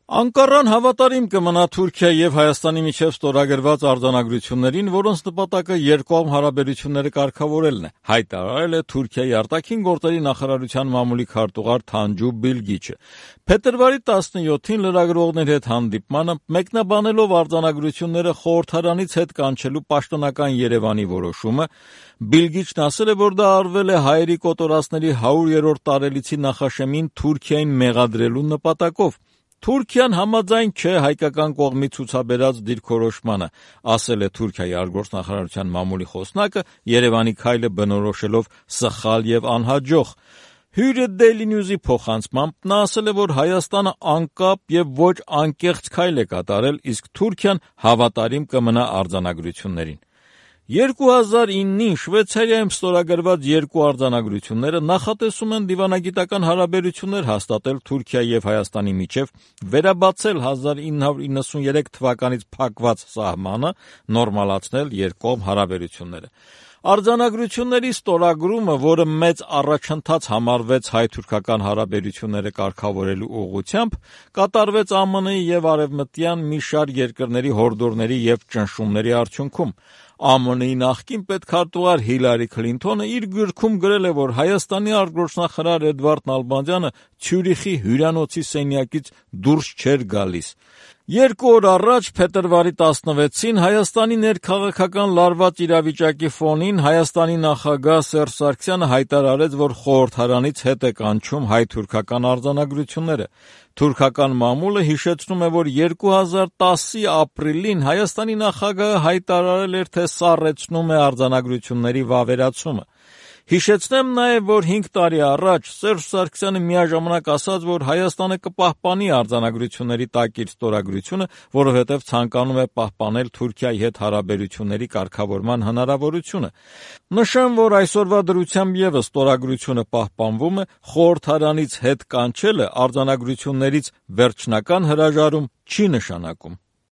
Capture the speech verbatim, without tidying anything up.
Անկառան հավատարիմ կմնա Թուրքիա եւ Հայաստանի միջեւ ստորագրված արձանագրություններին, որոնց նպատակը երկկողմ հարաբերությունները կարգավորելն է, հայտարարել է Թուրքիայի արտաքին գործերի նախարարության մամուլի քարտուղար Թանջու Բիլգիչը։ Փետրվարի տասնյոթին լրագրողների հետ հանդիպմանը մեկնաբանելով արձանագրությունները խորհրդարանից հետ կանչելու պաշտոնական Երևանի որոշումը, Բիլգիչն ասել է, որ դա արվել է հայերի կոտորածների հարյուրերորդ տարելիցի նախաշեմին Թուրքիային մեղադրելու նպատակով։ Թուրքիան համաձայն չէ հայկական կողմի ցուցաբերած դիրքորոշմանը, ասել է Թուրքիայի արտգործնախարարության մամուլի խոսնակը, Երևանի քայլը բնորոշելով սխալ եւ անհաջող։ Հյուրը Daily News-ի փոխանցմամբ նա ասել է, որ Հայաստանը անկապ եւ ոչ անկեղծ քայլ է կատարել, իսկ Թուրքիան հավատարիմ կմնա արձանագրություններին։ երկու հազար իննին Շվեյցարիայում ստորագրված երկու արձանագրությունները նախատեսում են դիվանագիտական հարաբերություններ հաստատել Թուրքիայի եւ Հայաստանի միջեւ, վերաբացել հազար ինը հարյուր իննսուններեք թվականից փակված սահմանը, նորմալացնել երկկողմ հարաբերությունները։ Արձանագրությունների ստորագրումը, որը մեծ առաջընթաց համարվեց հայ-թուրքական հարաբերությունները կարգավորելու ուղղությամբ, կատարվեց ԱՄՆ-ի եւ արևմտյան մի շարք երկրների հորդորների եւ ճնշումների արդյունքում։ ԱՄՆ-ի նախկին պետքարտուղար Հիլարի Քլինթոնը իր գրքում գրել է, որ Հայաստանի արտգործնախարար Էդվարդ Նալբանդյանը Ցյուրիխի հյուրանոցի սենյակից դուրս չէր գալիս։ Երկու օր առաջ, փետրվարի տասնվեցին, Հայաստանի ներքաղաքական լարված իրավիճակի ֆոնին Հայաստանի նախագահ Սերժ Սարգսյանը հայտարարեց, որ խորհրդարանից հետ է կանչում հայ-թուրքական արձանագրությունները։ Թուրքական մամուլը հիշեցնում է, որ երկու հազար տասի ապրիլին Հայաստանի նախագահը հայտարարել էր, թե սառեցնում է արձանագրությունների վավերացումը։ Հիշեցնեմ նաև, որ հինգ տարի առաջ Սերժ Սարգսյանը միաժամանակ ասաց, որ Հայաստանը կպահպանի արձանագրությունների տակիր ստորագրությունը, որովհետև ցանկանում է պահպանել Թուրքիայի հետ հարաբերությունների կարգավորման հնարավորությունը։ Նշեմ, որ այսօրվա դրությամբ ևս ստորագրությունը պահպանվում է, խորհրդարանից հետ կանչելը արձանագրություններից վերջնական հրաժարում չի նշանակում։